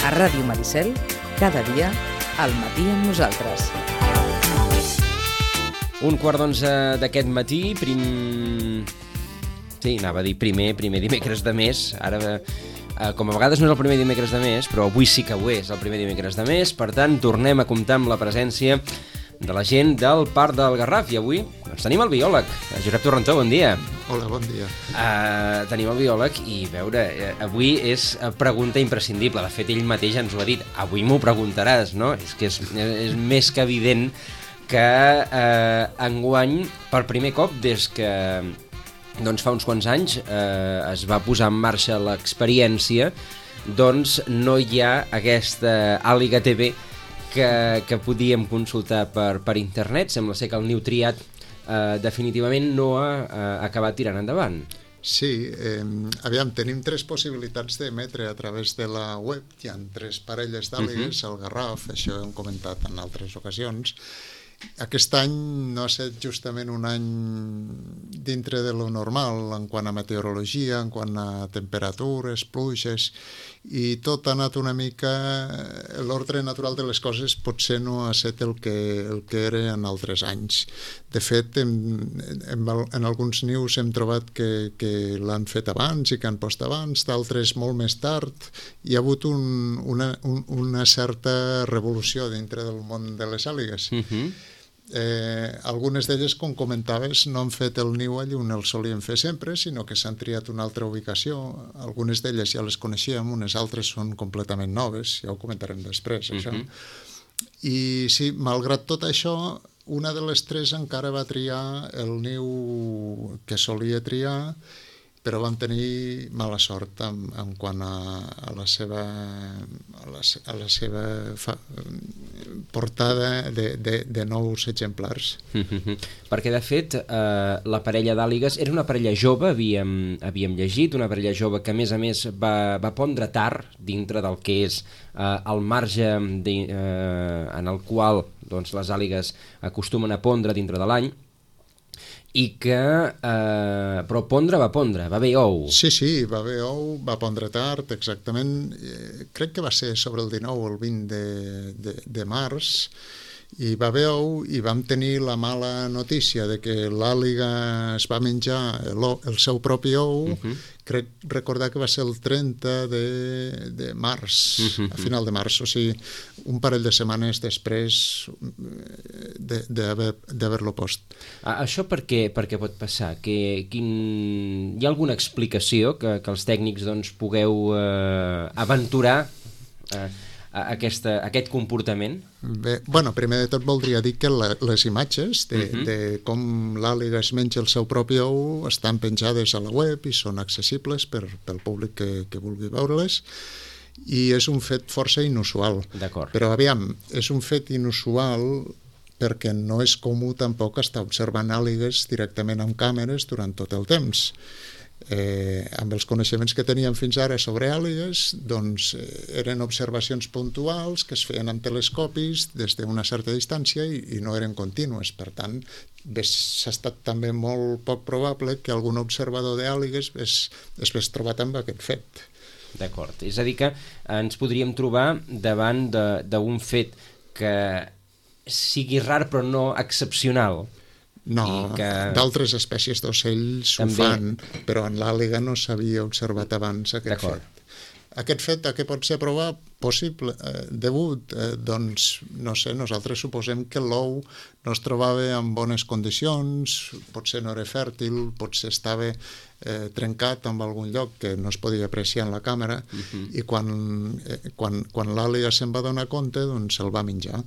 A Ràdio Maricel, cada dia, al matí amb nosaltres. 11:15 d'aquest matí, Sí, anava a dir primer dimecres de mes. Ara, com a vegades no és el primer dimecres de mes, però avui sí que ho és el primer dimecres de mes, per tant, tornem a comptar amb la presència de la gent del Parc del Garraf. I avui tenim el biòleg, Josep Torrentó, bon dia. Hola, bon dia. Tenim el biòleg i, avui és pregunta imprescindible. De fet, ell mateix ens ho ha dit. Avui m'ho preguntaràs, no? És que és més que evident que enguany, per primer cop, des que fa uns quants anys es va posar en marxa l'experiència, doncs no hi ha aquesta Àliga TV que podíem consultar per internet. Sembla ser que el niu triat definitivament no ha acabat tirant endavant. Sí, aviam, tenim 3 possibilitats d'emetre a través de la web. Hi ha 3 parelles d'àligues al Garraf, això ho hem comentat en altres ocasions. Aquest any no ha estat justament un any dintre de lo normal en quant a meteorologia, en quant a temperatures, pluges, i tot ha anat una mica... L'ordre natural de les coses potser no ha estat el que era en altres anys. De fet, en alguns nius hem trobat que l'han fet abans i que han post abans, d'altres molt més tard. Hi ha hagut una certa revolució dintre del món de les àligues. Algunes d'elles, com comentaves, no han fet el niu allí on el solien fer sempre, sinó que s'han triat una altra ubicació. Algunes d'elles ja les coneixíem, unes altres són completament noves, ja ho comentarem després, això. I sí, malgrat tot això, una de les 3 encara va triar el niu que solia triar, però vam tenir mala sort en quant a la seva portada de nous exemplars. Perquè, de fet, la parella d'àligues era una parella jove, havíem llegit, una parella jove que, a més, va pondre tard dintre del que és el marge en el qual les àligues acostumen a pondre dintre de l'any, i que, però va haver ou. Sí, va haver ou, va pondre tard, exactament. Crec que va ser sobre el 19 o el 20 de març, i va haver ou i vam tenir la mala notícia de que l'àliga es va menjar el seu propi ou. Crec recordar que va ser el 30 de març, a final de març, o sigui, un parell de setmanes després d'haver-lo post. Això per què pot passar? Hi ha alguna explicació que els tècnics pugueu aventurar aquest comportament? Bé, primer de tot voldria dir que les imatges de com l'àliga es menja el seu propi ou estan penjades a la web i són accessibles pel públic que vulgui veure-les, i és un fet força inusual. D'acord. Però aviam, és un fet inusual perquè no és comú tampoc estar observant àligues directament amb càmeres durant tot el temps. Amb els coneixements que teníem fins ara sobre àligues, doncs eren observacions puntuals que es feien amb telescopis des d'una certa distància i no eren contínues. Per tant, s'ha estat també molt poc probable que algun observador d'àligues es hagués trobat amb aquest fet. D'acord, és a dir que ens podríem trobar davant d'un fet que sigui rar però no excepcional. No, d'altres espècies d'ocells ho fan, però en l'àliga no s'havia observat abans aquest fet. Aquest fet a què pot ser possible, degut? Doncs, no sé, nosaltres suposem que l'ou no es trobava en bones condicions, potser no era fèrtil, potser estava trencat en algun lloc que no es podia apreciar en la càmera, i quan l'àliga se'n va donar compte, doncs se'l va menjar.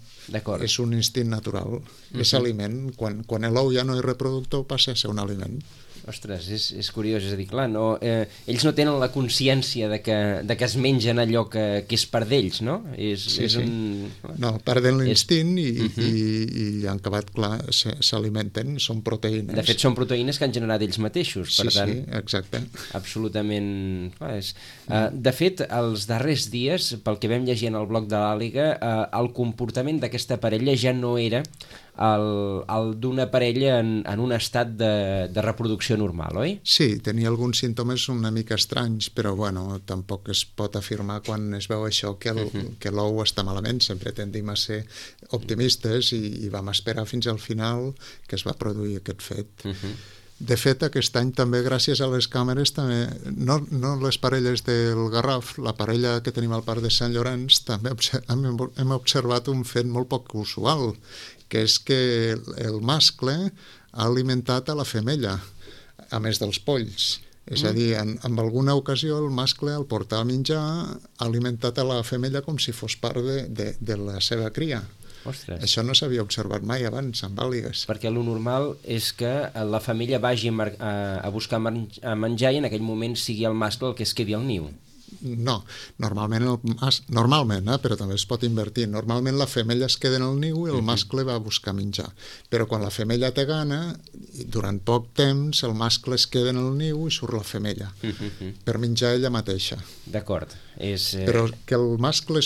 És un instint natural, és aliment. Quan l'ou ja no és reproductor, passa a ser un aliment. Ostres, és curiós, és a dir, clar, no, ells no tenen la consciència de que es mengen allò que és part d'ells, no? És un... No, perden l'instint i han acabat, clar, s'alimenten, són proteïnes. De fet, són proteïnes que han generat ells mateixos, per tant... Sí, exacte. Absolutament... De fet, els darrers dies, pel que vam llegir en el blog de l'Àliga, el comportament d'aquesta parella ja no era el d'una parella en un estat de reproducció normal, oi? Sí, tenia alguns símptomes una mica estranys, però bueno, tampoc es pot afirmar quan es veu això que l'ou està malament. Sempre tendim a ser optimistes i vam esperar fins al final que es va produir aquest fet. De fet, aquest any també, gràcies a les càmeres, també, no les parelles del Garraf, la parella que tenim al Parc de Sant Llorenç, també hem observat un fet molt poc usual, que és que el mascle ha alimentat a la femella, a més dels polls. És a dir, en alguna ocasió el mascle, al portar a menjar, ha alimentat a la femella com si fos part de la seva cria. Ostres. Això no s'havia observat mai abans amb àligues. Perquè lo normal és que la femella vagi a buscar menjar i en aquell moment sigui el mascle el que es quedi al niu. No, normalment, però també es pot invertir. Normalment la femella es queda en el niu i el mascle va a buscar menjar. Però quan la femella té gana, durant poc temps el mascle es queda en el niu i surt la femella per menjar ella mateixa. D'acord. Però que el mascle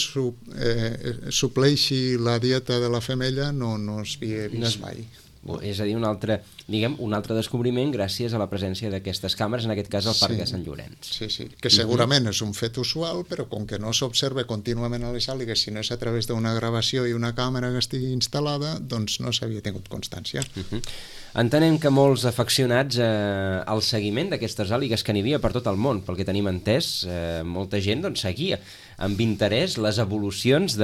supleixi la dieta de la femella no es havia vist mai. És a dir, un altre descobriment gràcies a la presència d'aquestes càmeres, en aquest cas al Parc de Sant Llorenç. Sí, que segurament és un fet usual, però com que no s'observa contínuament a les àligues, si no és a través d'una gravació i una càmera que estigui instal·lada, doncs no s'havia tingut constància. Entenem que molts afeccionats al seguiment d'aquestes àligues que n'hi havia per tot el món, pel que tenim entès, molta gent seguia amb interès les evolucions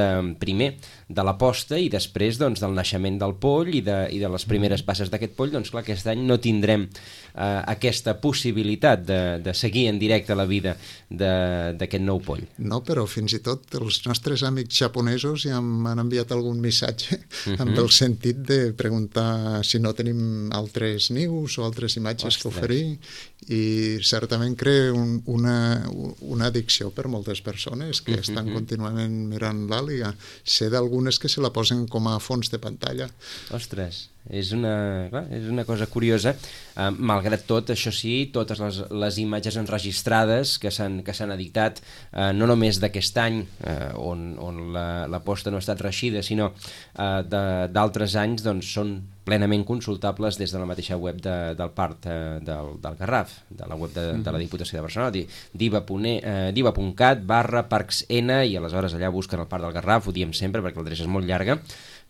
primer de la posta i després del naixement del poll i de les primeres passes d'aquest poll. Doncs clar, aquest any no tindrem aquesta possibilitat de seguir en directe la vida d'aquest nou poll. No, però fins i tot els nostres amics japonesos ja m'han enviat algun missatge amb el sentit de preguntar si no tenim altres nius o altres imatges que oferir, i certament crea una addicció per moltes persones que estan contínuament mirant l'àliga. Sé d'algunes que se la posen com a fons de pantalla. Ostres, és una cosa curiosa. Malgrat tot, això sí, totes les imatges enregistrades que s'han editat, no només d'aquest any, on la posta no ha estat reeixida, sinó d'altres anys, doncs són plenament consultables des de la mateixa web del Parc del Garraf, de la web de la Diputació de Barcelona, diva.cat/parcsn, i aleshores allà busquen el Parc del Garraf, ho diem sempre perquè l'adreça és molt llarga,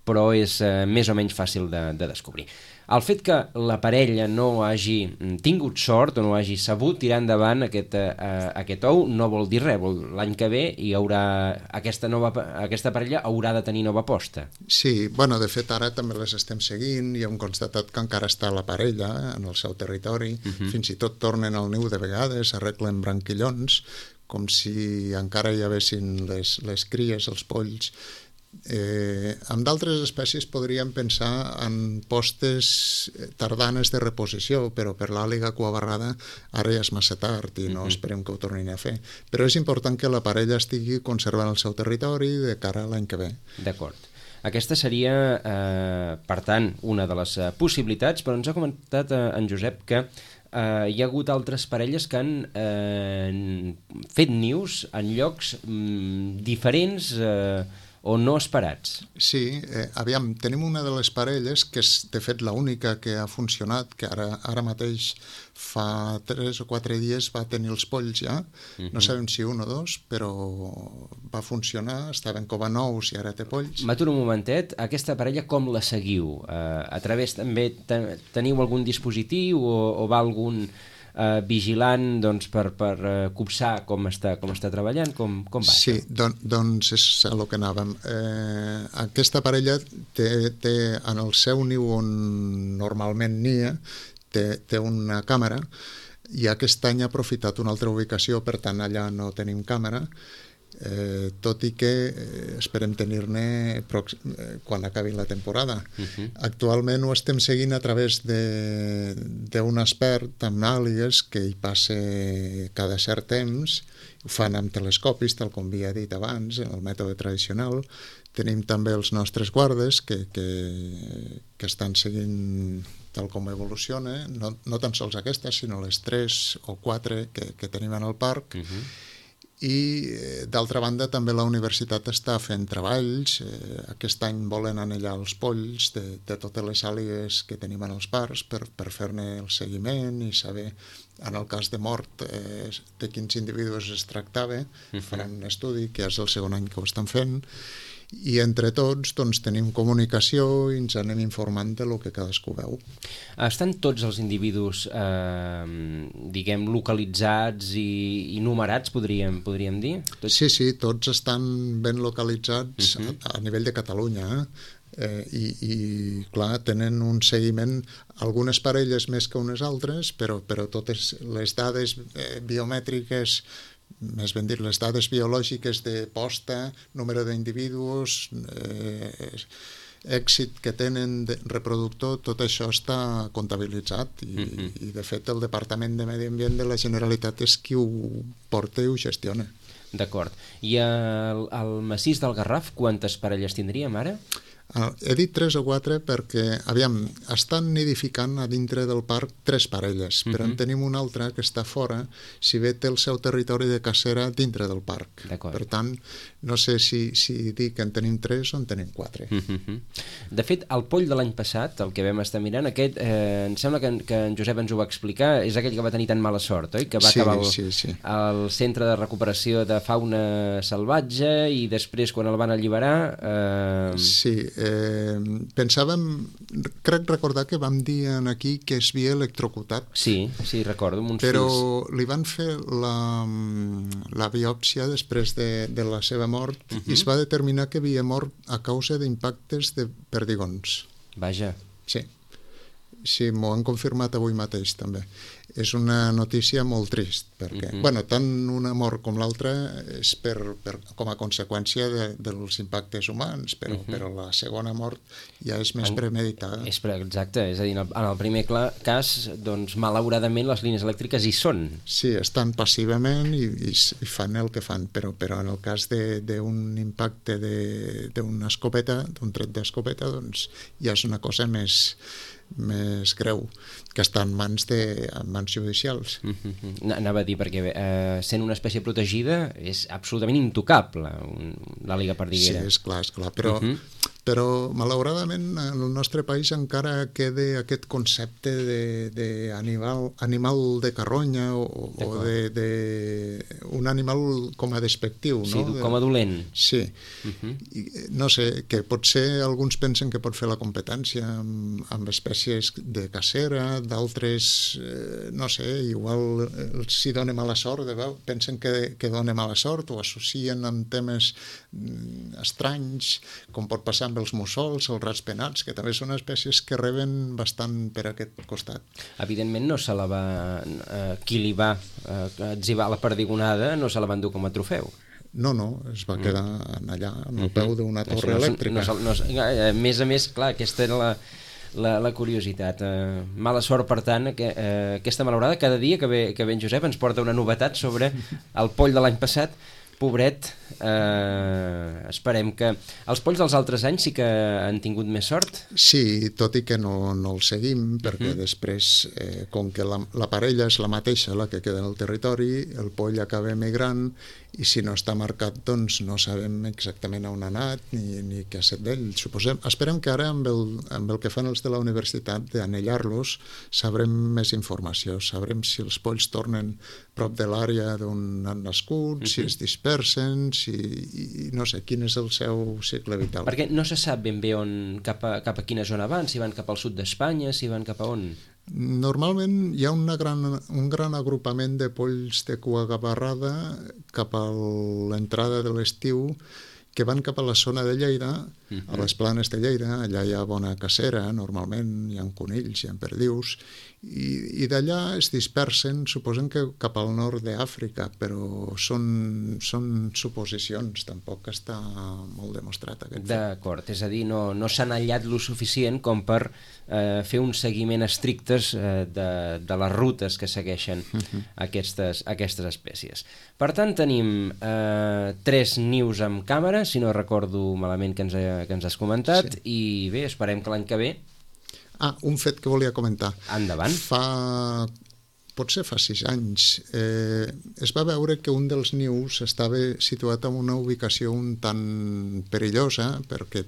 però és més o menys fàcil de descobrir. El fet que la parella no hagi tingut sort o no hagi sabut tirar endavant aquest ou no vol dir res. L'any que ve aquesta parella haurà de tenir nova posta. Sí, de fet ara també les estem seguint i hem constatat que encara està la parella en el seu territori, fins i tot tornen al niu de vegades, arreglen branquillons, com si encara hi haguessin les cries, els polls. Amb d'altres espècies podríem pensar en postes tardanes de reposició, però per l'àliga cuabarrada ara ja és massa tard i no esperem que ho tornin a fer. Però és important que la parella estigui conservant el seu territori de cara a l'any que ve. D'acord. Aquesta seria, per tant, una de les possibilitats, però ens ha comentat en Josep que hi ha hagut altres parelles que han fet nius en llocs diferents o no esperats. Sí, tenim una de les parelles que és de fet l'única que ha funcionat, que ara mateix fa 3 o 4 dies va tenir els polls ja, no sabem si 1 o 2, però va funcionar, estaven com a nous i ara té polls. M'aturo un momentet, aquesta parella com la seguiu? A través també teniu algun dispositiu o va algun vigilant per copsar com està treballant, com va? Sí, doncs és el que anàvem. Aquesta parella té en el seu niu on normalment nia, té una càmera, i aquest any ha aprofitat una altra ubicació, per tant allà no tenim càmera. tot i que esperem tenir-ne quan acabi la temporada. Actualment ho estem seguint a través d'un expert amb àligues que hi passa cada cert temps, ho fan amb telescopis, tal com havia dit abans, en el mètode tradicional. Tenim també els nostres guardes que estan seguint tal com evoluciona, no tan sols aquestes, sinó les 3 o 4 que tenim en el parc. I d'altra banda també la universitat està fent treballs. Aquest any volen anellar els polls de totes les àligues que tenim en els parcs per fer-ne el seguiment i saber, en el cas de mort, de quins individus es tractava. Faran un estudi, que és el segon any que ho estan fent, i entre tots doncs, tenim comunicació i ens anem informant de lo que cadascú veu. Estan tots els individus diguem localitzats i numerats, podríem dir? Sí, tots estan ben localitzats a nivell de Catalunya, i clar, tenen un seguiment, algunes parelles més que unes altres, però totes les dades biomètriques, més ben dit, les dades biològiques de posta, número d'individus, èxit que tenen de reproductor, tot això està comptabilitzat i de fet el Departament de Medi Ambient de la Generalitat és qui ho porta i ho gestiona. D'acord. I al massís del Garraf quantes parelles tindríem ara? He dit 3 o 4 perquè, estan nidificant a dintre del parc 3 parelles, però en tenim una altra que està fora, si bé té el seu territori de cacera dintre del parc. Per tant, no sé si dir que en tenim 3 o en tenim 4. De fet, el poll de l'any passat, el que vam estar mirant, aquest, em sembla que en Josep ens ho va explicar, és aquell que va tenir tan mala sort, oi? Que va acabar al centre de recuperació de fauna salvatge i després, quan el van alliberar... Sí, pensàvem, crec recordar que vam dir aquí que es havia electrocutat. Sí, recordo, amb uns però fils. Li van fer la biòpsia després de la seva mort i es va determinar que havia mort a causa d'impactes de perdigons. Vaja. Sí, m'ho han confirmat avui mateix també. És una notícia molt trist perquè, tant una mort com l'altra és com a conseqüència dels impactes humans, però la segona mort ja és més premeditada. Exacte, és a dir, en el primer cas, doncs, malauradament les línies elèctriques hi són. Sí, estan passivament i fan el que fan, però en el cas d'un impacte d'una escopeta, d'un tret d'escopeta, doncs ja és una cosa més greu, que està en mans judicials. Anava a dir, perquè sent una espècie protegida és absolutament intocable l'àliga perdiguera. Sí, és clar, però malauradament en el nostre país encara queda aquest concepte d'animal de carronya o d'un animal com a despectiu. Sí, com a dolent. Sí. No sé, que potser alguns pensen que pot fer la competència amb espècies de cacera, d'altres, no sé, igual si dona mala sort, pensen que dona mala sort, o associen amb temes estranys, com pot passar amb els mussols, els rats penats, que també són espècies que reben bastant per aquest costat. Evidentment no se la va... qui li va etzibar la perdigonada no se la va endur com a trofeu. No, es va quedar allà, en el peu d'una torre elèctrica. A més, clar, aquesta era la curiositat. Mala sort, per tant, aquesta malaurada. Cada dia que ve en Josep ens porta una novetat sobre el poll de l'any passat. Pobret, esperem que... Els polls dels altres anys sí que han tingut més sort? Sí, tot i que no el seguim, perquè després, com que la parella és la mateixa, la que queda en el territori, el poll acaba emigrant i si no està marcat, doncs no sabem exactament on ha anat ni què ha estat d'ell. Esperem que ara, amb el que fan els de la universitat, d'anellar-los, sabrem més informació, sabrem si els polls tornen prop de l'àrea d'on han nascut, si es dispersen, i no sé, quin és el seu cicle vital. Perquè no se sap ben bé cap a quina zona van, si van cap al sud d'Espanya, si van cap a on? Normalment hi ha un gran agrupament de polls de cua gavarrada cap a l'entrada de l'estiu que van cap a la zona de Lleida, a les planes de Lleida. Allà hi ha bona cacera, normalment, hi ha conills, hi ha perdius, i d'allà es dispersen, suposen que cap al nord d'Àfrica, però són suposicions, tampoc està molt demostrat aquest fet. D'acord, és a dir, no s'han aïllat lo suficient com per fer un seguiment estrictes de les rutes que segueixen aquestes espècies. Per tant, tenim 3 nius amb càmera, si no recordo malament que ens has comentat, i bé, esperem que l'any que ve... Un fet que volia comentar. Endavant. Potser fa 6 anys, es va veure que un dels nius estava situat en una ubicació un tant perillosa perquè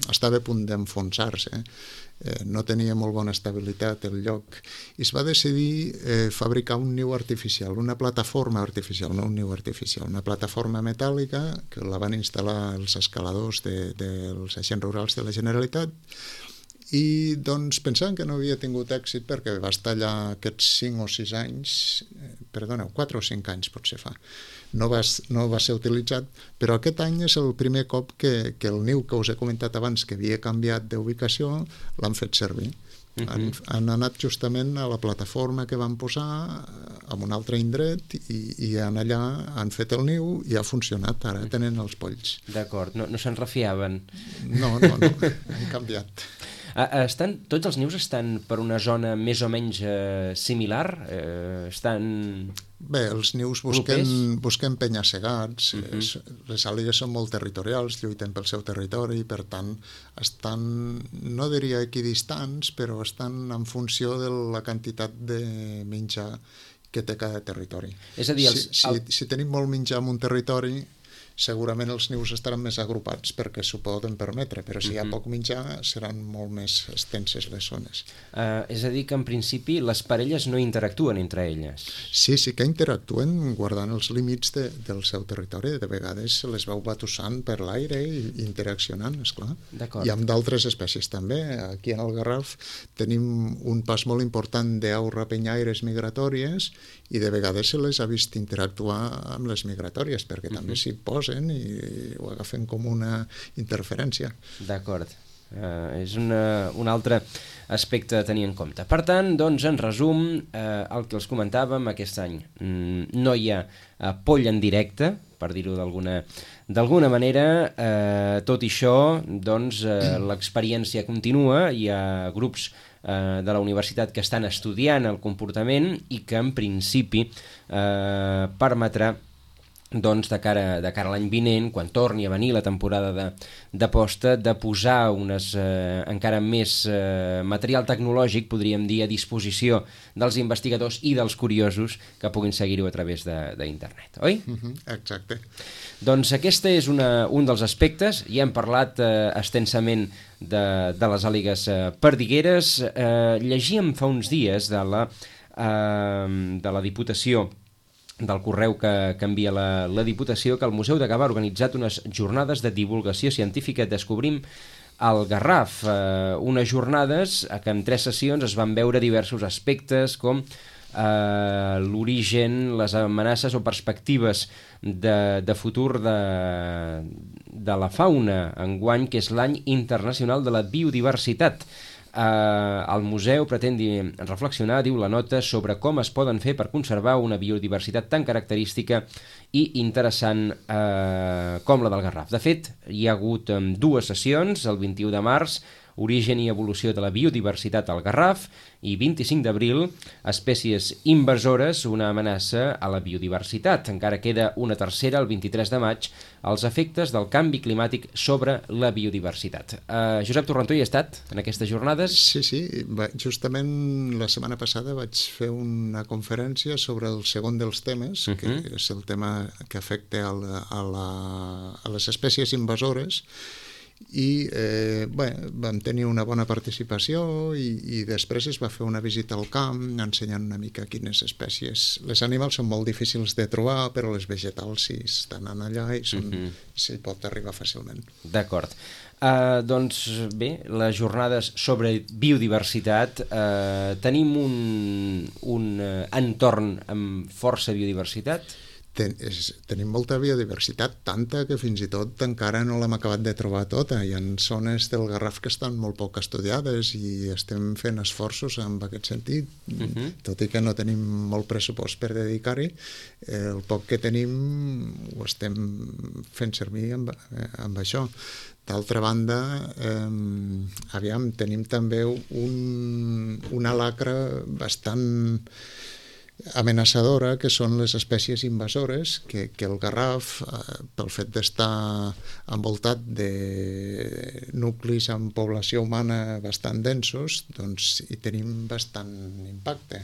estava a punt d'enfonsar-se, no tenia molt bona estabilitat el lloc, i es va decidir fabricar un niu artificial, una plataforma artificial, no un niu artificial, una plataforma metàl·lica que la van instal·lar els escaladors dels agents rurals de la Generalitat. I doncs pensant que no havia tingut èxit perquè va estar allà aquests 5 o 6 anys, 4 o 5 anys potser fa, no va ser utilitzat, però aquest any és el primer cop que el niu que us he comentat abans, que havia canviat d'ubicació, l'han fet servir. Han anat justament a la plataforma que van posar en un altre indret i allà han fet el niu i ha funcionat, ara tenen els polls. D'acord, no se'n refiaven. No, han canviat. Tots els nius estan per una zona més o menys similar? Bé, els nius busquen penya-segats, les àligues són molt territorials, lluiten pel seu territori, per tant, estan, no diria equidistants, però estan en funció de la quantitat de menjar que té cada territori. És a dir, si tenim molt menjar en un territori, segurament els nius estaran més agrupats perquè s'ho poden permetre, però si hi ha poc menjar seran molt més extenses les zones. És a dir que en principi les parelles no interactuen entre elles? Sí que interactuen guardant els límits del seu territori. De vegades se les veu batussant per l'aire i interaccionant, esclar. I amb d'altres espècies també. Aquí en el Garraf tenim un pas molt important d'aus rapenyaires migratòries i de vegades se les ha vist interactuar amb les migratòries perquè també s'hi posen i ho agafen com una interferència. D'acord. És un altre aspecte a tenir en compte. Per tant, doncs, en resum, el que els comentàvem aquest any, no hi ha poll en directe, per dir-ho d'alguna manera, tot i això, doncs, l'experiència continua, hi ha grups de la universitat que estan estudiant el comportament i que en principi permetrà doncs de cara a l'any vinent, quan torni a venir la temporada de posta, de posar encara més material tecnològic, podríem dir, a disposició dels investigadors i dels curiosos que puguin seguir-ho a través d'internet, oi? Exacte. Doncs aquest és un dels aspectes. Ja hem parlat extensament de les àligues perdigueres. Llegíem fa uns dies de la Diputació, del correu que envia la Diputació, que el Museu de Gavà ha organitzat unes jornades de divulgació científica Descobrim el Garraf, unes jornades que en 3 sessions es van veure diversos aspectes com l'origen, les amenaces o perspectives de futur de la fauna, enguany que és l'any internacional de la biodiversitat. El museu pretén reflexionar, diu la nota, sobre com es poden fer per conservar una biodiversitat tan característica i interessant com la del Garraf. De fet, hi ha hagut 2 sessions, el 21 de març, Origen i evolució de la biodiversitat al Garraf, i 25 d'abril, espècies invasores, una amenaça a la biodiversitat. Encara queda una tercera, el 23 de maig, els efectes del canvi climàtic sobre la biodiversitat. Josep Torrentó hi ha estat en aquestes jornades? Sí, justament la setmana passada vaig fer una conferència sobre el segon dels temes, que és el tema que afecta a les espècies invasores, i vam tenir una bona participació i després es va fer una visita al camp ensenyant una mica quines espècies. Les animals són molt difícils de trobar, però les vegetals sí estan allà i s'hi pot arribar fàcilment. D'acord. Doncs bé, les jornades sobre biodiversitat, tenim un entorn amb força biodiversitat? tenim molta biodiversitat, tanta que fins i tot encara no l'hem acabat de trobar tota. Hi ha zones del Garraf que estan molt poc estudiades i estem fent esforços en aquest sentit, tot i que no tenim molt pressupost per dedicar-hi. El poc que tenim ho estem fent servir amb això. D'altra banda, tenim també una lacra bastant amenaçadora, que són les espècies invasores, que el Garraf, pel fet d'estar envoltat de nuclis amb població humana bastant densos, doncs hi tenim bastant impacte.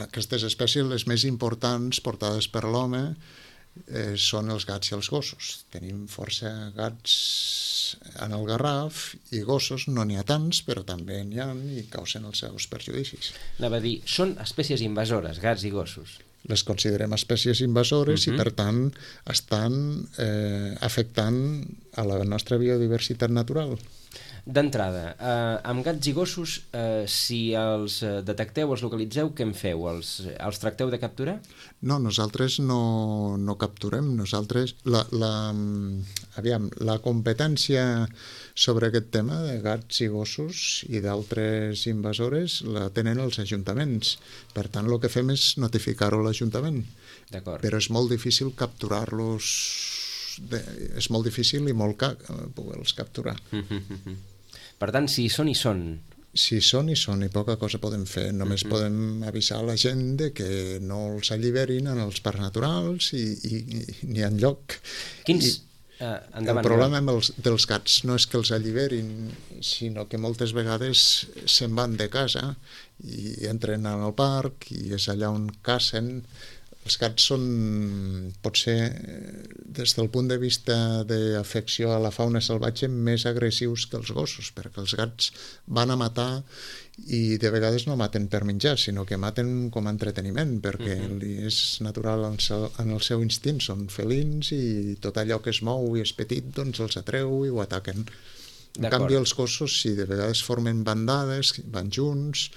Aquestes espècies, les més importants portades per l'home, són els gats i els gossos. Tenim força gats en el Garraf i gossos, no n'hi ha tants, però també n'hi ha i causen els seus perjudicis. Anava a dir, són espècies invasores, gats i gossos. Les considerem espècies invasores i, per tant, estan afectant a la nostra biodiversitat natural. D'entrada, amb gats i gossos, si els detecteu, els localitzeu, què en feu? Els tracteu de capturar? No, nosaltres no capturem. Nosaltres, la competència sobre aquest tema de gats i gossos i d'altres invasores la tenen els ajuntaments. Per tant, el que fem és notificar-ho a l'Ajuntament. D'acord. Però és molt difícil capturar-los, és molt difícil i molt car poder-los capturar. Per tant, si hi són, hi són. Si hi són, hi són, i poca cosa podem fer. Només podem avisar la gent de que no els alliberin en els parcs naturals i n'hi ha lloc. El problema dels gats no és que els alliberin, sinó que moltes vegades se'n van de casa i entren al parc i és allà on cacen. Els gats són, potser, des del punt de vista d'afecció a la fauna salvatge, més agressius que els gossos, perquè els gats van a matar i de vegades no maten per menjar, sinó que maten com a entreteniment, perquè és natural en el seu instint, són felins i tot allò que es mou i és petit, doncs els atreu i ho ataquen. En canvi, els gossos, sí, de vegades formen bandades, van junts.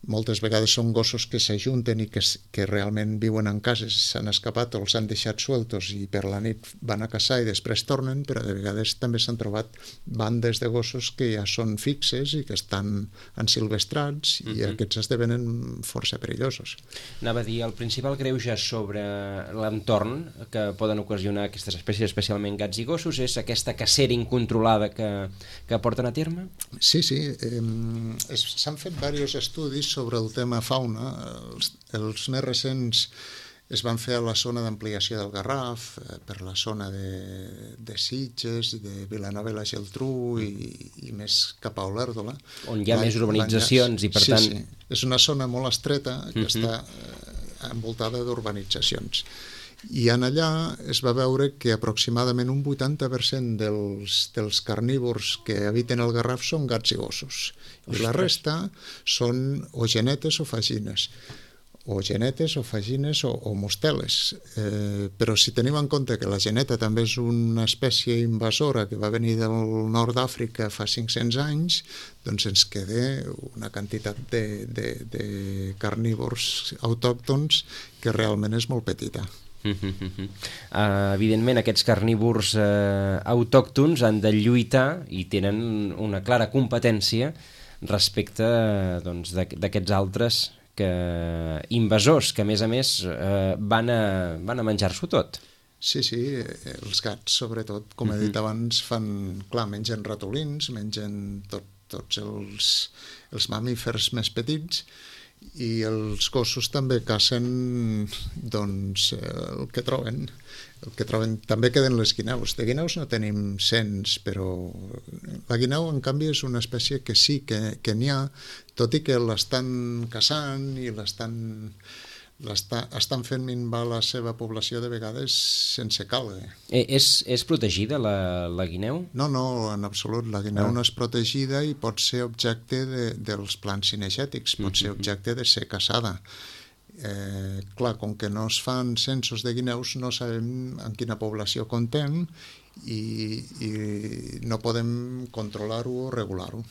Moltes vegades són gossos que s'ajunten i que realment viuen en cases, s'han escapat o els han deixat sueltos i per la nit van a caçar i després tornen, però de vegades també s'han trobat bandes de gossos que ja són fixes i que estan ensilvestrats i aquests esdevenen força perillosos. Anava a dir, el principal greuge sobre l'entorn que poden ocasionar aquestes espècies, especialment gats i gossos, és aquesta cacera incontrolada que porten a terme? Sí, s'han fet diversos estudis sobre el tema fauna. Els més recents es van fer a la zona d'ampliació del Garraf, per la zona de Sitges i de Vilanova i la Geltrú i més cap a Olèrdola. On hi ha més urbanitzacions i per tant... Sí, és una zona molt estreta que està envoltada d'urbanitzacions. I en allà es va veure que aproximadament un 80% dels carnívors que habiten el Garraf són gats i gossos. I la resta són o genetes o fagines, o mosteles. Però si tenim en compte que la geneta també és una espècie invasora que va venir del nord d'Àfrica fa 500 anys, doncs ens queda una quantitat de carnívors autòctons que realment és molt petita. Evidentment aquests carnívors autòctons han de lluitar i tenen una clara competència respecte d'aquests altres invasors que a més van a menjar-s'ho tot. Sí, els gats sobretot, com he dit abans, mengen ratolins, mengen tots els mamífers més petits, i els gossos també cacen el que troben. També queden les guineus. De guineus no tenim cents, però la guineu, en canvi, és una espècie que sí que n'hi ha, tot i que l'estan caçant i estan fent minvar la seva població de vegades sense càlgue. És protegida la guineu? No, en absolut. La guineu no és protegida i pot ser objecte dels plans cinegètics, pot ser objecte de ser caçada. Clar, com que no es fan censos de guineus, no sabem en quina població comptem i no podem controlar-ho o regular-ho.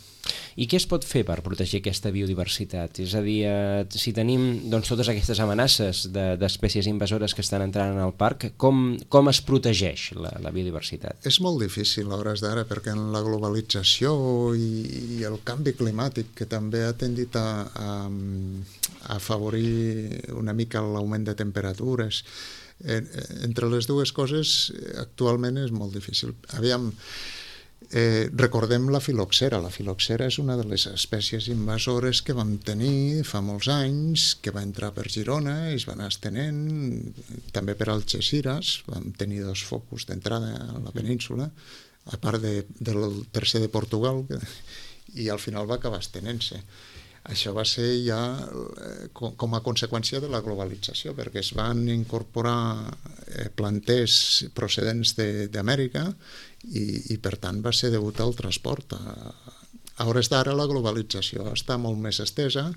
I què es pot fer per protegir aquesta biodiversitat? És a dir, si tenim doncs, totes aquestes amenaces d'espècies invasores que estan entrant al parc, com es protegeix la biodiversitat? És molt difícil a hores d'ara, perquè en la globalització i el canvi climàtic, que també ha tendit a afavorir una mica l'augment de temperatures, entre les dues coses actualment és molt difícil. Aviam, recordem la filoxera. La filoxera és una de les espècies invasores que vam tenir fa molts anys, que va entrar per Girona i es va anar estenent, també per Algeciras, vam tenir 2 focus d'entrada a la península, a part del tercer de Portugal, i al final va acabar estenent-se. Això va ser ja com a conseqüència de la globalització, perquè es van incorporar planters procedents d'Amèrica i per tant va ser degut al transport. A hores d'ara la globalització està molt més estesa,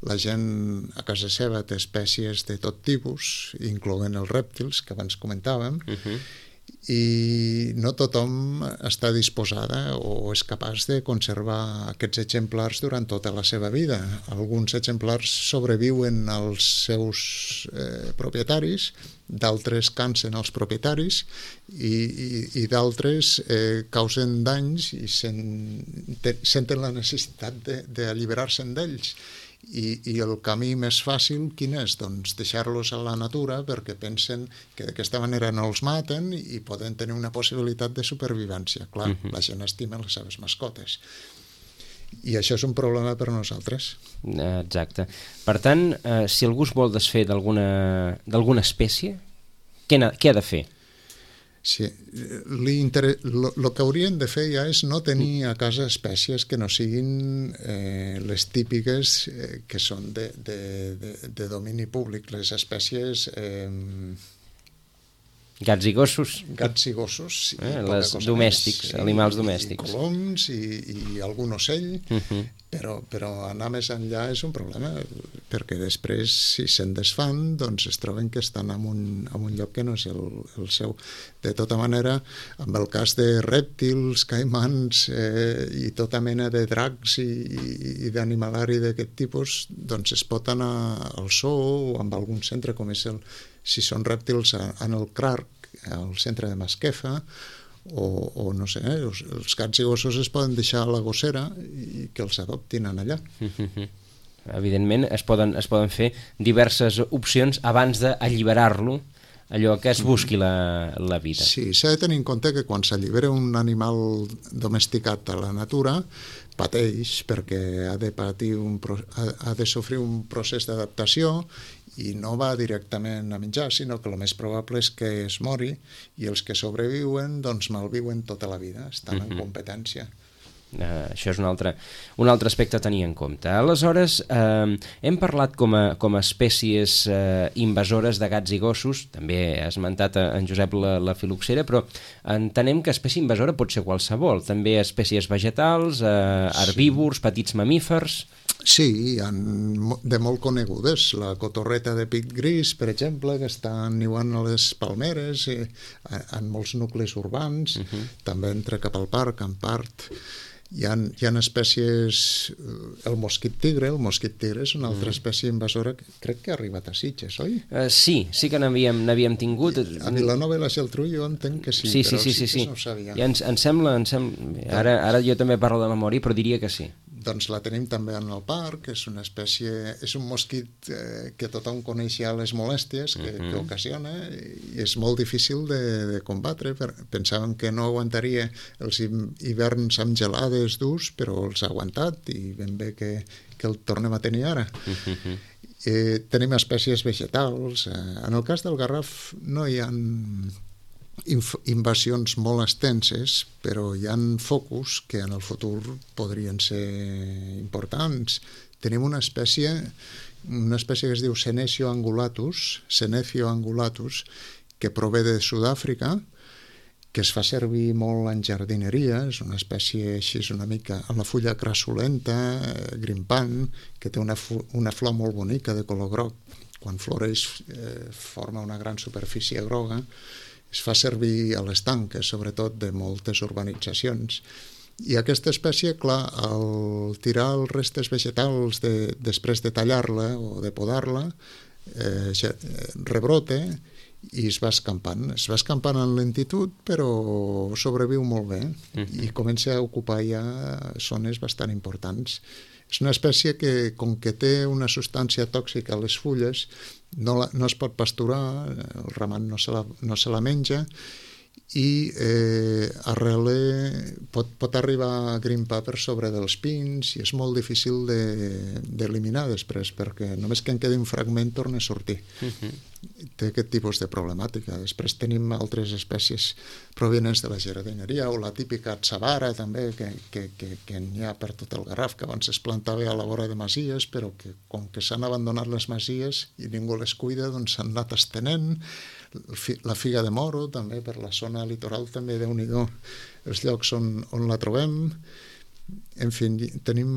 la gent a casa seva té espècies de tot tipus, incloent els rèptils que abans comentàvem, i no tothom està disposada o és capaç de conservar aquests exemplars durant tota la seva vida. Alguns exemplars sobreviuen als seus propietaris, d'altres cansen els propietaris i d'altres causen danys i senten la necessitat d'alliberar-se'n d'ells. I el camí més fàcil quin és? Doncs deixar-los a la natura, perquè pensen que d'aquesta manera no els maten i poden tenir una possibilitat de supervivència. Clar, la gent estima les seves mascotes. I això és un problema per a nosaltres. Exacte. Per tant, si algú es vol desfer d'alguna espècie, què ha de fer? Sí, el que haurien de fer ja és no tenir a casa espècies que no siguin les típiques que són de domini públic, les espècies... Gats i gossos. Gats i gossos. Les domèstics, animals domèstics. I coloms i algun ocell, però anar més enllà és un problema, perquè després, si se'n desfan, doncs es troben que estan en un lloc que no és el seu. De tota manera, amb el cas de rèptils, caimans i tota mena de dracs i d'animalari d'aquest tipus, doncs es pot anar al zoo o amb algun centre com és si són rèptils en el CRARC, al centre de Masquefa, o no sé, els gats i gossos es poden deixar a la gossera i que els adoptin allà. Evidentment es poden fer diverses opcions abans d'alliberar-lo, allò que es busqui la vida. Sí, s'ha de tenir en compte que quan s'allibera un animal domesticat a la natura pateix, perquè ha de sofrir un procés d'adaptació i no va directament a menjar, sinó que el més probable és que es mori i els que sobreviuen doncs malviuen tota la vida, estan en competència. Això és un altre aspecte a tenir en compte. Aleshores, hem parlat com a espècies invasores de gats i gossos, també ha esmentat en Josep la filoxera, però entenem que espècie invasora pot ser qualsevol, també espècies vegetals, herbívors, petits mamífers... Sí, de molt conegudes. La cotorreta de pit gris, per exemple, que està niuant a les palmeres, en molts nuclis urbans, també entra cap al parc, en part. Hi ha espècies... El mosquit tigre és una altra espècie invasora que crec que ha arribat a Sitges, oi? Sí que n'havíem tingut. A Vilanova i la Geltrú jo entenc que sí, però Sitges no ho sabia. Ja ens sembla... Ara jo també parlo de memòria, però diria que sí. Doncs la tenim també en el parc, és una espècie, és un mosquit que tothom coneix ja les molèsties que ocasiona i és molt difícil de combatre. Pensàvem que no aguantaria els hiverns amb gelades durs, però els ha aguantat i ben bé que el tornem a tenir ara. Tenim espècies vegetals. En el cas del garraf no hi ha invasions molt extenses, però hi ha focus que en el futur podrien ser importants. Tenim una espècie que es diu Senecio angulatus, que prové de Sud-àfrica, que es fa servir molt en jardineria, és una espècie així una mica amb la fulla crassulenta, grimpant, que té una flor molt bonica de color groc. Quan floreix forma una gran superfície groga. Es fa servir a les tanques, sobretot de moltes urbanitzacions. I aquesta espècie, clar, al tirar els restes vegetals després de tallar-la o de podar-la, rebrota i es va escampant. Es va escampant en lentitud, però sobreviu molt bé i comença a ocupar ja zones bastant importants. És una espècie que, com que té una substància tòxica a les fulles, no es pot pasturar, el ramat no se la menja, i pot arribar a grimpar per sobre dels pins i és molt difícil d'eliminar després, perquè només que en quedi un fragment torna a sortir. Té aquest tipus de problemàtica. Després tenim altres espècies provenents de la jardineria, o la típica atzavara també, que n'hi ha per tot el Garraf, que abans es plantava a la vora de masies, però que com que s'han abandonat les masies i ningú les cuida, doncs s'han anat estenent. La figa de moro, també, per la zona litoral, també, Déu-n'hi-do, els llocs on la trobem. En fi, tenim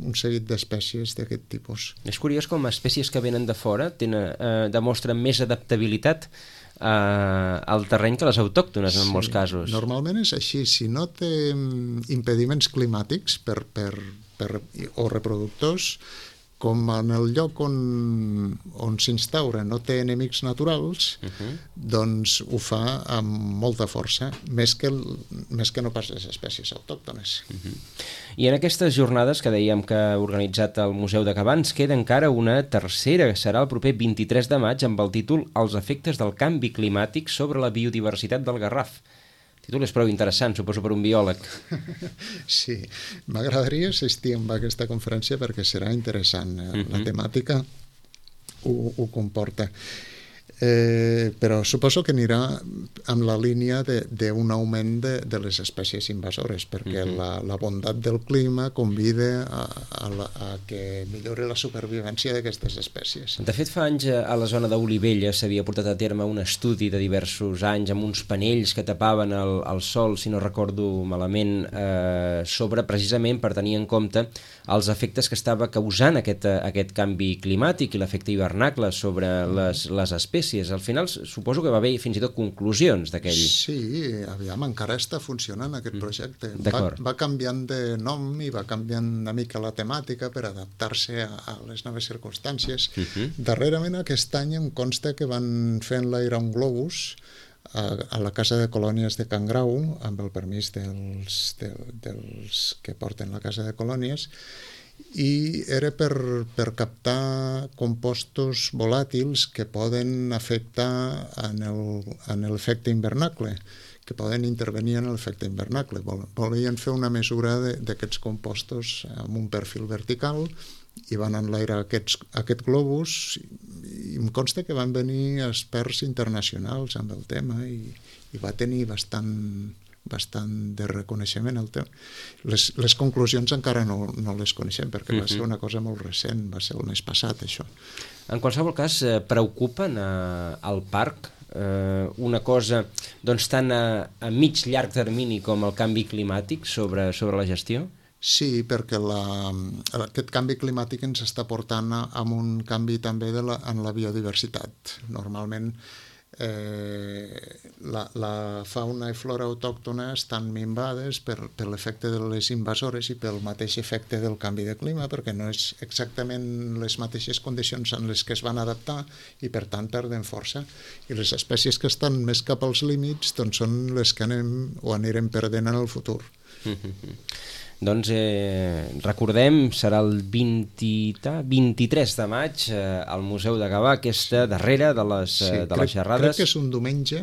un seguit d'espècies d'aquest tipus. És curiós com espècies que venen de fora demostren més adaptabilitat al terreny que les autòctones, en molts casos. Normalment és així. Si no té impediments climàtics o reproductors, com en el lloc on s'instaura no té enemics naturals, doncs ho fa amb molta força, més que no pas les espècies autòctones. I en aquestes jornades que dèiem que ha organitzat el Museu de Gavà ens queda encara una tercera, que serà el proper 23 de maig, amb el títol Els efectes del canvi climàtic sobre la biodiversitat del Garraf. El títol és prou interessant, suposo, per un biòleg. Sí, m'agradaria assistir a aquesta conferència perquè serà interessant. La temàtica ho comporta. Però suposo que anirà en la línia d'un augment de les espècies invasores, perquè la bondat del clima convida a que millori la supervivència d'aquestes espècies. De fet, fa anys a la zona d'Olivella s'havia portat a terme un estudi de diversos anys amb uns panells que tapaven el sol, si no recordo malament, sobre precisament per tenir en compte els efectes que estava causant aquest canvi climàtic i l'efecte hivernacle sobre les espècies. Al final suposo que va haver fins i tot conclusions d'aquell... Sí, aviam, encara està funcionant aquest projecte. Va canviant de nom i va canviant una mica la temàtica per adaptar-se a les noves circumstàncies. Darrerament aquest any em consta que van fer enlairar un globus a la Casa de Colònies de Can Grau, amb el permís dels que porten la Casa de Colònies, i era per captar compostos volàtils que poden afectar en l'efecte hivernacle, que poden intervenir en l'efecte hivernacle. Volien fer una mesura d'aquests compostos amb un perfil vertical i van enlairar aquest globus i em consta que van venir experts internacionals amb el tema i va tenir bastant de reconeixement el tema. Les conclusions encara no les coneixem perquè va ser una cosa molt recent, va ser el mes passat això. En qualsevol cas, preocupen al parc una cosa doncs tan a mig llarg termini com el canvi climàtic sobre la gestió? Sí, perquè aquest canvi climàtic ens està portant a un canvi també en la biodiversitat. Normalment la fauna i flora autòctona estan minvades per l'efecte de les invasores i pel mateix efecte del canvi de clima, perquè no és exactament les mateixes condicions en les que es van adaptar i per tant perden força, i les espècies que estan més cap als límits doncs són les que anirem perdent en el futur. Doncs recordem, serà el 23 de maig al Museu de Gavà, aquesta darrera de les xerrades. Crec que és un diumenge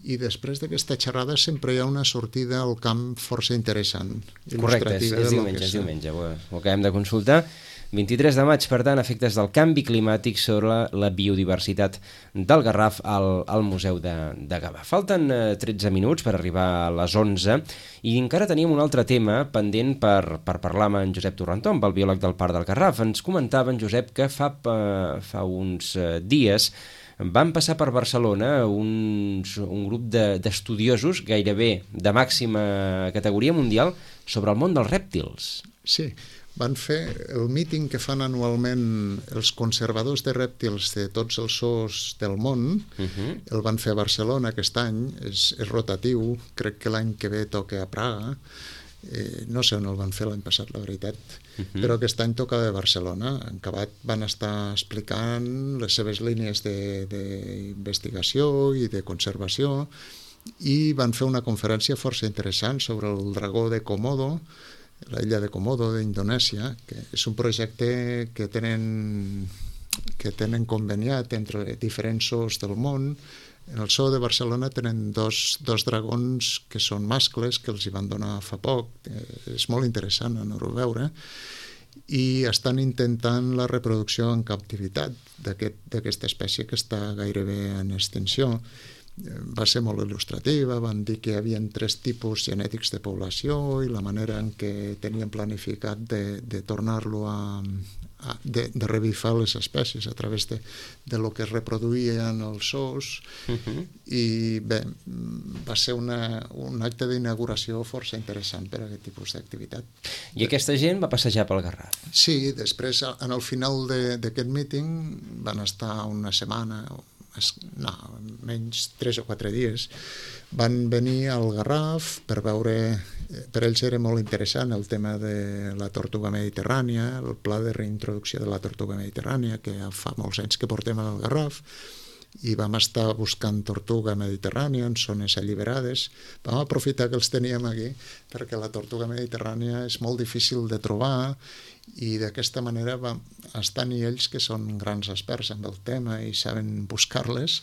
i després d'aquesta xerrada sempre hi ha una sortida al camp força interessant. Correcte, és diumenge, ho acabem de consultar. 23 de maig, per tant, efectes del canvi climàtic sobre la biodiversitat del Garraf al Museu de Gavà. Falten 13 minuts per arribar a les 11 i encara teníem un altre tema pendent per parlar amb en Josep Torrentó, amb el biòleg del Parc del Garraf. Ens comentava en Josep que fa uns dies van passar per Barcelona un grup d'estudiosos gairebé de màxima categoria mundial sobre el món dels rèptils. Sí, van fer el míting que fan anualment els conservadors de rèptils de tots els zoos del món. El van fer a Barcelona aquest any, és rotatiu, crec que l'any que ve toca a Praga. No sé on el van fer l'any passat, la veritat, però aquest any tocava a Barcelona. En acabat van estar explicant les seves línies d'investigació i de conservació i van fer una conferència força interessant sobre el dragó de Komodo, la illa de Komodo d'Indonèsia, que és un projecte que tenen conveniat entre diferents zoos del món. En el zoo de Barcelona tenen dos dragons que són mascles, que els hi van donar fa poc. És molt interessant anar-ho a veure. I estan intentant la reproducció en captivitat d'aquesta espècie que està gairebé en extinció. Va ser molt il·lustrativa, van dir que hi havia 3 tipus genètics de població i la manera en què tenien planificat de tornar-lo de revifar les espècies a través de lo que es reproduïen els zoos. I bé, va ser un acte d'inauguració força interessant per a aquest tipus d'activitat. I aquesta gent va passejar pel Garraf? Sí, després, en el final d'aquest míting, van estar una setmana, menys 3 o 4 dies, van venir al Garraf per veure, per ells era molt interessant el tema de la tortuga mediterrània, el pla de reintroducció de la tortuga mediterrània, que fa molts anys que portem al Garraf, i vam estar buscant tortuga mediterrània en zones alliberades. Vam aprofitar que els teníem aquí perquè la tortuga mediterrània és molt difícil de trobar i d'aquesta manera estan ells, que són grans experts en el tema i saben buscar-les,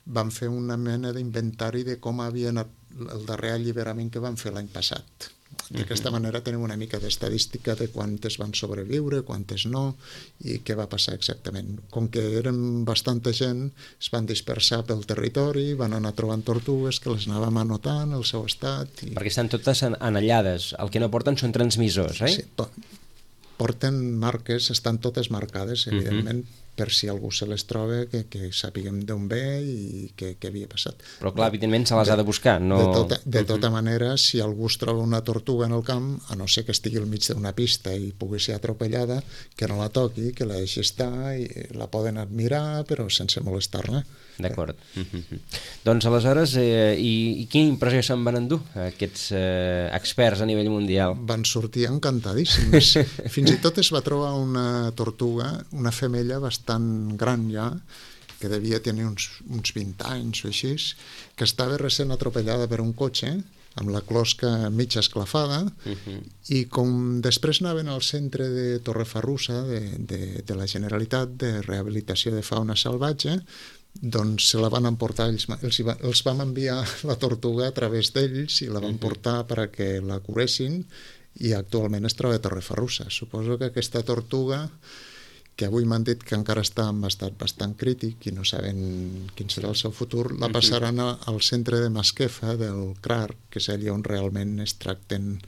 van fer una mena d'inventari de com havia anat el darrer alliberament que van fer l'any passat. D'aquesta manera tenim una mica d'estadística de quantes van sobreviure, quantes no, i què va passar exactament. Com que eren bastanta gent, es van dispersar pel territori, van anar trobant tortugues que les anàvem anotant, el seu estat... Perquè estan totes anellades, el que no porten són transmissors, eh? Sí, porten marques, estan totes marcades, evidentment, per si algú se les troba, que sàpiguem d'on ve i què havia passat. Però clar, evidentment se les ha de buscar, no... De tota manera, si algú es troba una tortuga en el camp, a no ser que estigui al mig d'una pista i pugui ser atropellada, que no la toqui, que la deixi estar, i la poden admirar, però sense molestar-la. D'acord. Doncs aleshores, i quina impressió se'n van endur aquests experts a nivell mundial? Van sortir encantadíssims. Fins i tot es va trobar una tortuga, una femella bastant gran ja, que devia tenir uns 20 anys o així, que estava recent atropellada per un cotxe, amb la closca mitja esclafada, i com després anaven al centre de Torrefarrussa, de la Generalitat de Rehabilitació de Fauna Salvatge, doncs se la van emportar, els vam enviar la tortuga a través d'ells i la van portar perquè la curessin, i actualment es troba a Torrefarrussa. Suposo que aquesta tortuga, que avui m'han dit que encara està en estat bastant crític i no saben quin serà el seu futur, la passaran al centre de Masquefa del CRAR, que és allà on realment es tracten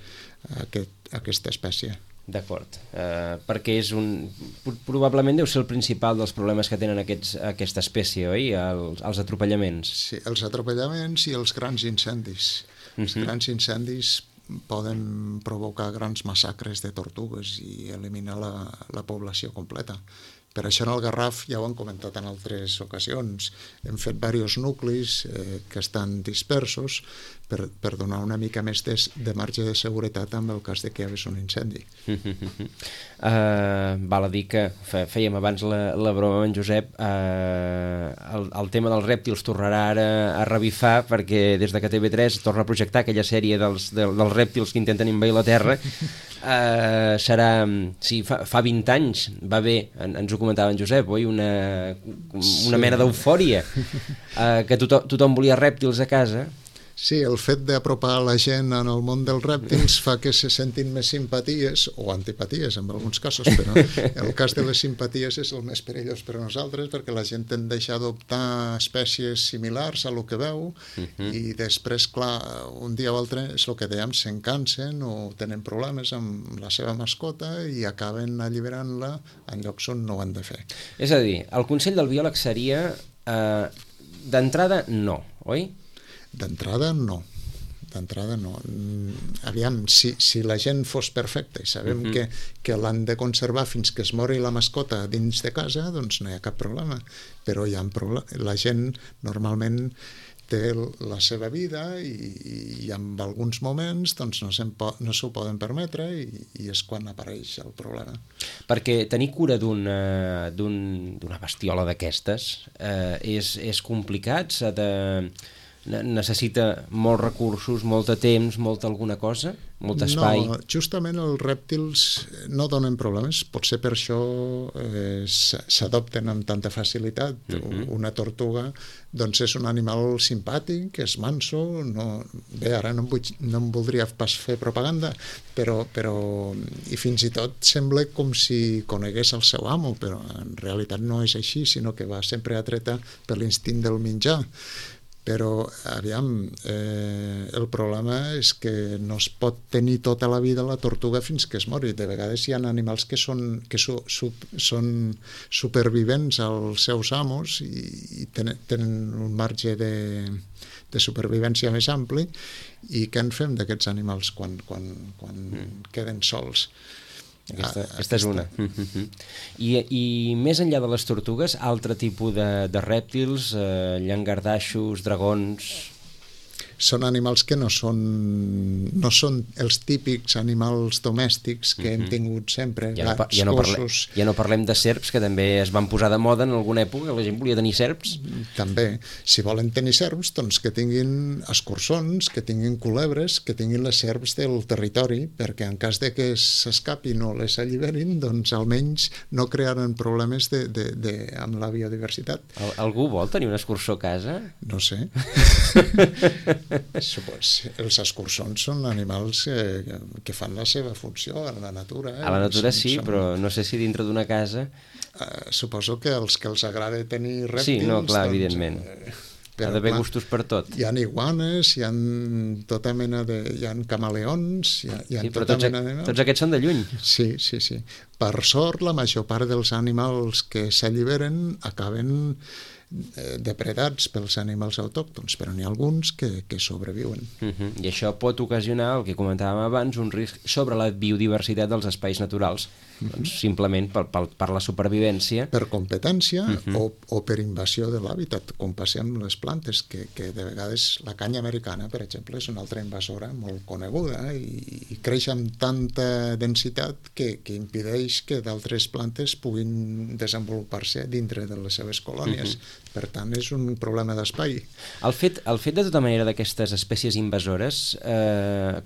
aquesta espècie. D'acord, perquè probablement deu ser el principal dels problemes que tenen aquesta espècie, oi? Els atropellaments. Sí, els atropellaments i els grans incendis. Els grans incendis poden provocar grans massacres de tortugues i eliminar la població completa. Per això en el Garraf, ja ho han comentat en altres ocasions, hem fet diversos nuclis que estan dispersos per donar una mica més de marge de seguretat en el cas de que hi hagués un incendi. Val a dir que fèiem abans la broma amb en Josep, el tema dels rèptils tornarà ara a revifar, perquè des de que TV3 torna a projectar aquella sèrie dels rèptils que intenten envair la Terra. Serà, sí, fa 20 anys va haver, ens ho comentava en Josep, oi? Una mena d'eufòria, que tothom volia rèptils a casa. Sí, el fet d'apropar la gent en el món dels rèptils fa que se sentin més simpaties, o antipaties en alguns casos, però el cas de les simpaties és el més perillós per a nosaltres, perquè la gent tendeix a adoptar espècies similars a lo que veu, i després, clar, un dia o altre és el que dèiem, se'n cansen o tenen problemes amb la seva mascota i acaben alliberant-la en llocs on no ho han de fer. És a dir, el consell del biòleg seria d'entrada no, oi? D'entrada no. Aviam, si la gent fos perfecta i sabem que l'han de conservar fins que es mori la mascota dins de casa, doncs no hi ha cap problema. Però la gent normalment té la seva vida i en alguns moments doncs, no s'ho poden permetre i és quan apareix el problema. Perquè tenir cura d'una bestiola d'aquestes és complicat, necessita molts recursos, molt de temps, molta alguna cosa, molt espai? No, justament els rèptils no donen problemes, potser per això s'adopten amb tanta facilitat. Una tortuga doncs és un animal simpàtic, és manso, bé, ara no em voldria pas fer propaganda, però i fins i tot sembla com si conegués el seu amo, però en realitat no és així, sinó que va sempre atreta per l'instint del menjar. Però, aviam, el problema és que no es pot tenir tota la vida la tortuga fins que es mori. De vegades hi ha animals que són supervivents als seus amos i tenen un marge de supervivència més ampli. I què en fem d'aquests animals quan queden sols? Aquesta és una. I més enllà de les tortugues, altre tipus de rèptils, llangardaixos, dragons... Són animals que no són els típics animals domèstics que hem tingut sempre, gats, gossos... Ja no parlem de serps, que també es van posar de moda en alguna època, la gent volia tenir serps. També. Si volen tenir serps, doncs que tinguin escurçons, que tinguin culebres, que tinguin les serps del territori, perquè en cas de que s'escapin o les alliberin, doncs almenys no crearan problemes amb la biodiversitat. Algú vol tenir un escurçó a casa? No sé. Els escurçons són animals que fan la seva funció a la natura. A la natura sí, però no sé si dintre d'una casa... Suposo que els que els agrada tenir rèptils... Sí, no, clar, evidentment. Ha d'haver gustos per tot. Hi ha iguanes, hi ha tota mena de... Hi ha camaleons, hi ha tota mena de... Tots aquests són de lluny. Sí. Per sort, la major part dels animals que s'alliberen acaben depredats pels animals autòctons, però n'hi ha alguns que sobreviuen. I això pot ocasionar, el que comentàvem abans, un risc sobre la biodiversitat dels espais naturals, doncs, simplement per la supervivència. Per competència o per invasió de l'hàbitat, com passa amb les plantes, que de vegades la canya americana, per exemple, és una altra invasora molt coneguda i creix amb tanta densitat que impedeix que d'altres plantes puguin desenvolupar-se dintre de les seves colònies. Per tant, és un problema d'espai. El fet de tota manera d'aquestes espècies invasores,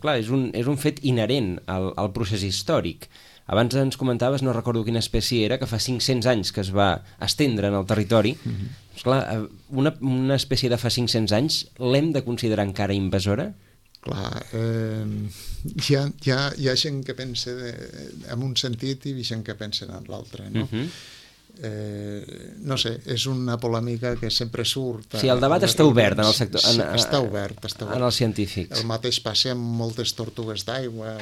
clar, és un fet inherent al procés històric. Abans ens comentaves, no recordo quina espècie era, que fa 500 anys que es va estendre en el territori. Esclar, una espècie de fa 500 anys l'hem de considerar encara invasora? Clar, hi ha gent que pensa en un sentit i gent que pensa en l'altre, no? No sé, és una polèmica que sempre surt. Sí, el debat està obert en el sector, sí, està obert. En els científics. El mateix passa amb moltes tortugues d'aigua,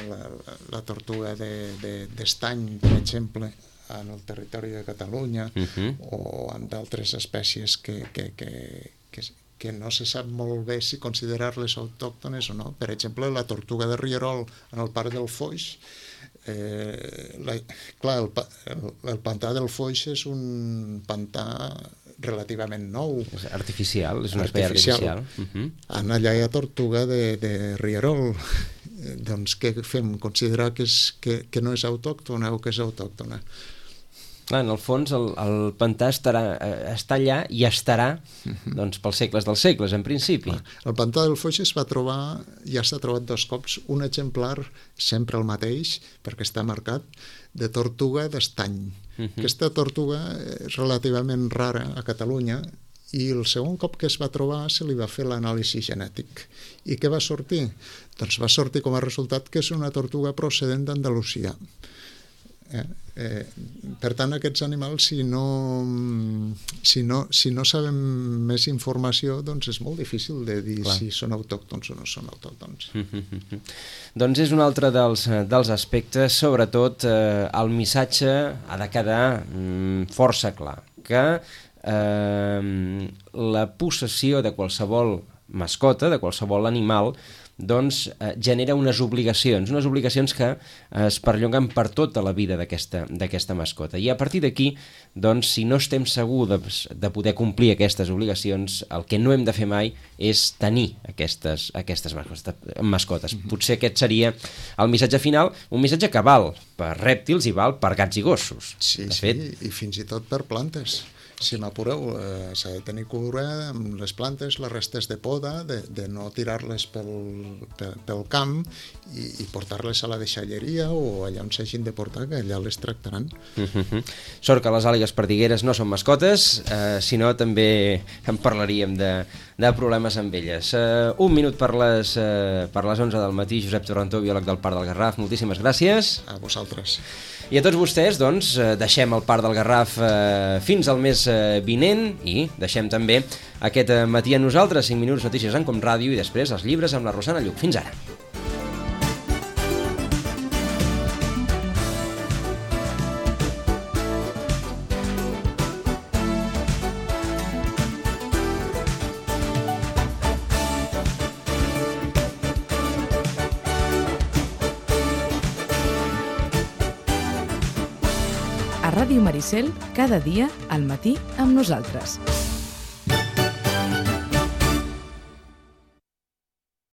la tortuga d'estany, per exemple, en el territori de Catalunya, o amb d'altres espècies que no se sap molt bé si considerar-les autòctones o no. Per exemple, la tortuga de Rierol en el Parc del Foix. Clar, el pantà del Foix és un pantà relativament nou. És artificial, és un espai artificial. Allà hi ha tortuga de Rierol. Doncs què fem? Considerar que no és autòctona o que és autòctona? Clar, en el fons el pantà està allà i estarà doncs, pels segles dels segles, en principi. El pantà del Foix ja s'ha trobat 2 cops un exemplar, sempre el mateix, perquè està marcat, de tortuga d'estany. Aquesta tortuga és relativament rara a Catalunya i el segon cop que es va trobar se li va fer l'anàlisi genètic. I què va sortir? Doncs va sortir com a resultat que és una tortuga procedent d'Andalusia. Per tant, aquests animals, si no sabem més informació, doncs és molt difícil de dir si són autòctons o no són autòctons. Doncs és un altre dels aspectes, sobretot el missatge ha de quedar força clar, que la possessió de qualsevol mascota, de qualsevol animal, doncs genera unes obligacions que es perllonguen per tota la vida d'aquesta mascota. I a partir d'aquí, doncs, si no estem segurs de poder complir aquestes obligacions, el que no hem de fer mai és tenir aquestes mascotes. Potser aquest seria el missatge final, un missatge que val per rèptils i val per gats i gossos. Sí, i fins i tot per plantes. Si m'apureu, s'ha de tenir cura amb les plantes, les restes de poda, de no tirar-les pel camp i portar-les a la deixalleria o allà on s'hagin de portar, que allà les tractaran. Sort que les àligues perdigueres no són mascotes, sinó també en parlaríem de problemes amb elles. Un minut per les 11 del matí. Josep Torrentó, biòleg del Parc del Garraf, moltíssimes gràcies. A vosaltres. I a tots vostès, doncs, deixem el Parc del Garraf fins al mes vinent i deixem també aquest matí a nosaltres, 5 minuts notícies en Com Ràdio i després els llibres amb la Rosana Lluc. Fins ara. A Ràdio Maricel, cada dia al matí amb nosaltres.